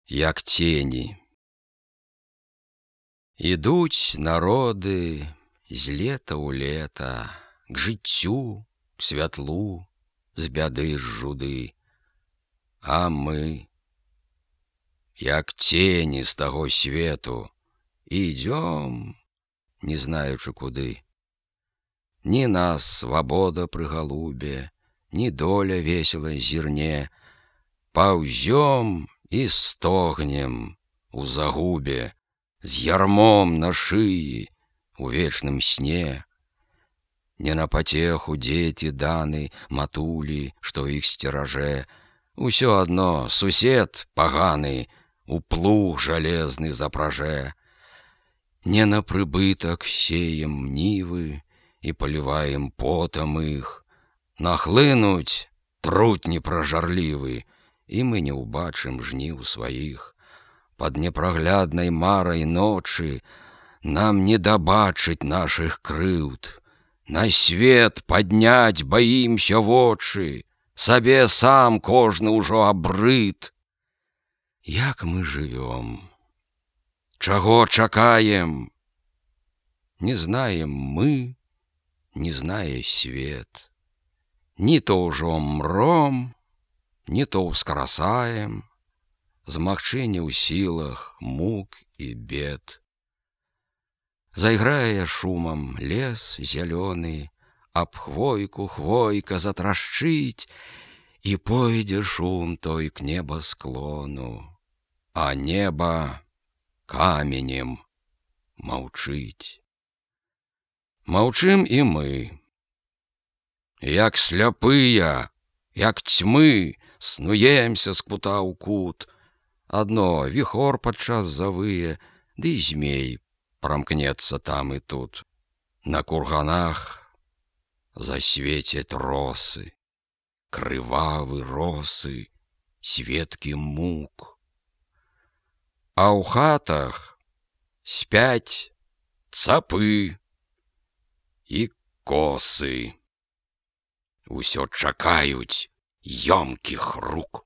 як тені. Ідуць народы з лета ў лета, к жыццю, к святлу, з бяды, з жуды. А мы, як тені з таго свету, ідём, не знаючы куды. Ні нас свабода пры галубе, ні доля весела зірне, паўзём і стогнем у загубе, з ярмом на шыі у вечным сне. Не на патеху дзеці даны, матулі, што іх сцеражэ, усё адно сусед паганы у плуг жалезны запражэ. Не на прыбытак сеем нівы і паліваем потам іх, нахлынуць трутні пражарлівы, і мы не ўбачым жніў сваіх. Пад непрагляднай марай ночы нам не дабачыць нашых крыўд. На свет падняць баімся вочы, сабе сам кожны ўжо абрыд. Як мы жывём? Чаго чакаем? Не знаем мы, не знае свет. Ні то ўжо мром, ні то ўскрасаем, змагчы не ў сілах мук і бед. Зайграе шумам лес зялёны, аб хвойку хвойка затрашчыць, і пойдзе шум той к небасклону, а неба каменем маўчыць. Маўчым і мы, як сляпыя, як цьмы, снуемся з кута ў кут. Адно віхор падчас завые, ды і змей прамкнецца там і тут. На курганах засвецяць росы, крывавы росы, светкі мук. А ў хатах спяць цапы і косы. Усё чакаюць ёмкіх рук.